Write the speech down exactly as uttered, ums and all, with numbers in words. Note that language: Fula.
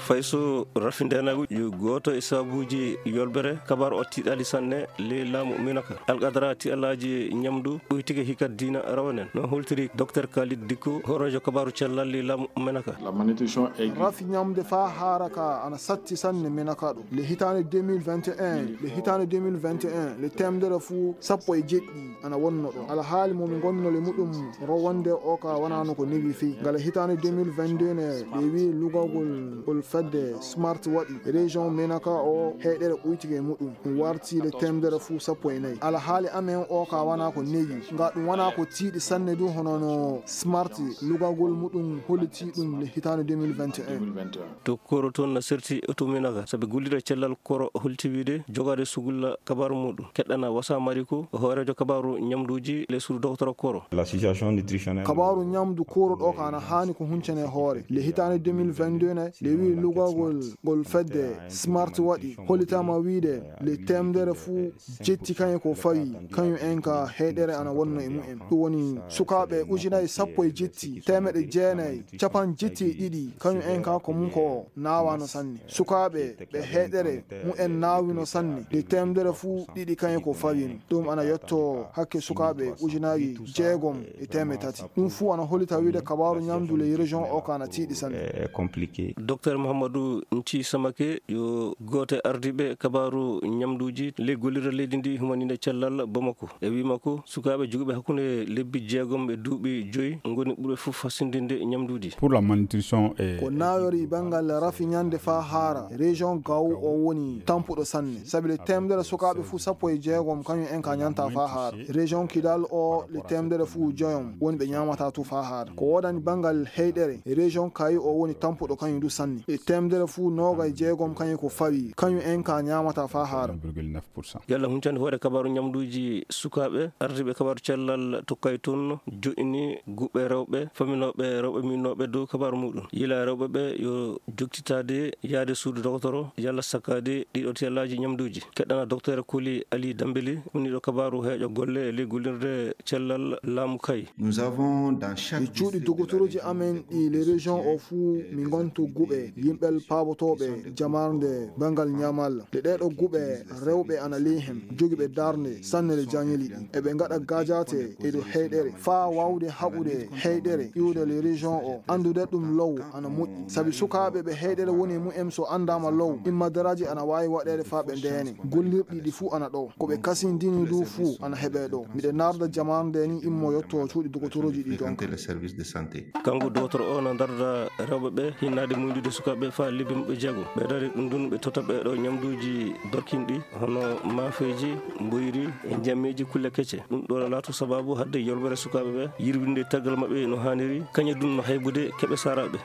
Fay so rafi ndeenaagu yo gooto e sabuuji yolbere, kabaaru o tiiɗaali sanne ley laamu Minaka. Alqadara tiiɗalaaji ñamdu ɓuytike hikat diina rawanen. No holtiri Docteur Khalid Dikko, hooreejo kabaaru cellal ley laamu Minaka. La malnutrition aiguë. Rafi ñamde faa haara ka ana satti sanne Minaka ɗo. Le hitaande deux mille vingt et un, le hitaande deux mille vingt et un, le teemedere fuu sappo e jeɗɗi ana wonno ɗo. Alhaali mo mi ngonno le muɗum rowonde o ka wanaano ko newi fii. Ngala hitaande deux mille vingt-deux ne, ɓe wii lugagol ngol fedde Smart waɗi région Menaka o heyɗere ɓuytike e muɗum. Ɗum warti le teemedere fuu sappo e nayi. Alhaali amen o ka wana ko newi. Nga ɗum wana ko tiiɗi sanne du hono no Smart lugagol muɗum holliti ɗum le hitaande deux mille vingt et un. To Koro toon na serti to Menaka, sabi gollirɗo cellal Koro holti wiide jogaade sugulla kabaaru muɗum. Keɗɗana Wasa Mariko, hooreejo kabaaru ñamduuji le suudu Docteur Koro. La situation nutritionnelle. Kabaaru ñamdu Koro ɗo ka ana haani ko huncane hoore. Le hitaande deux mille vingt-deux ne, le wi lugagol ngol fedde Smart waɗi, hollitaama wiide le teemedere fuu jetti kañum ko fawi, kañum en ka heyɗere ana wonno e mumen. Ɗum woni sukaaɓe ujunaaji sappo e jetti, teemeɗɗe jeenayi, capanɗe jetti e ɗiɗi, kañum en ka ko mum ko naawano sanne. Sukaaɓe ɓe heyɗere mumen naawino sanne, nde teemedere fuu ɗiɗi kañum ko fawino. Ɗum ana yetto hakke sukaaɓe ujunaaji jeegom e teemeɗɗe tati. Ɗum fuu ana hollita wiide kabaaru ñamdu ley région o ka ana tiiɗi sanne. Eh, compliqué. Docteur Mouhamadou Nthi Samake yo gooto e ardiiɓe kabaaru ñamduuji ley gollirde leydi ndi humaniinde cellal Bamako. E wii makko, sukaaɓe jogiiɓe hakkunde lebbi jeegom e duuɓi joyi ngoni ɓurɓe fof hasindinde ñamduuji. Pour la malnutrition e. Ko naawori banngal rafi ñande faa haara, région Gao o woni tampuɗo sanne. Sabi le teemedere sukaaɓe fuu sappo e jeegom kañum en ka ñanta faa haara. Région Kidal o le teemedere fuu joyom woni ɓe ñaamata tu faa haara. Ko woodani banngal heyɗere, région Kayi o woni tampuɗo kañum du sanne. E teemedere fuu nooga e jeegom kañum ko fawi, kañum en ka ñaamata faa haara. Yalla huncande hoore kabaaru ñamduuji sukaaɓe, ardiiɓe kabaaru cellal tokkay toon joɗɗini guɓɓe rewɓe, faminooɓe rewɓe minnooɓe dow kabaaru muɗum. Yila rewɓe ɓe yo joktitaade yaade suudu dogotoro, yalla sakkaade ɗiɗo tiyallaaji ñamduuji. Keɗɗana Docteur Koli Ali Dambeli, woniiɗo kabaaru heeƴo golle e ley gollirde cellal laamu Kayi. Nous avons dans chaque. E cuuɗi district de la dogotoroji région amen ɗi le région o fuu mi ngonto guɓe yimɓe paabotooɓe jamarnde banngal ñaamalla. Nde ɗeeɗo guɓe rewɓe ana ley hen, jogiiɓe darnde sanne le jañeli ɗi. Eɓe ngaɗa gajate e dow heyɗere faa waawde haɓude heyɗere iwde le région o. Anndude ɗum low ana moƴƴi. Sabi sukaaɓe ɓe heyɗere woni e mumen so anndaama low, immadaraaji ana waawi waɗeede faa ɓe ndeene. Gollirɗi ɗi fuu ana ɗo. Ko ɓe kasindini du fuu ana heɓee ɗo. Miɗe narda jamaanu nde ni immo yotto cuuɗi dogotoroji ɗi donc. Fréquenter les services de santé. Kanko dogotoro o na darda rewɓe ɓe hinnaade muñdude sukaaɓe faa lebbi maɓɓe jeego. Ɓe dari ɗum ɗum ɓe totta ɓe ɗo ñamduuji dorkinɗi hono maafeeji, mboyri e njammeeji kulle kecce. Ɗum ɗo na laato sabaabu hadde yolbere sukaaɓe ɓe, yirwinde tagal maɓɓe no haaniri, kañum ɗum no haybude keɓe saraaɓe.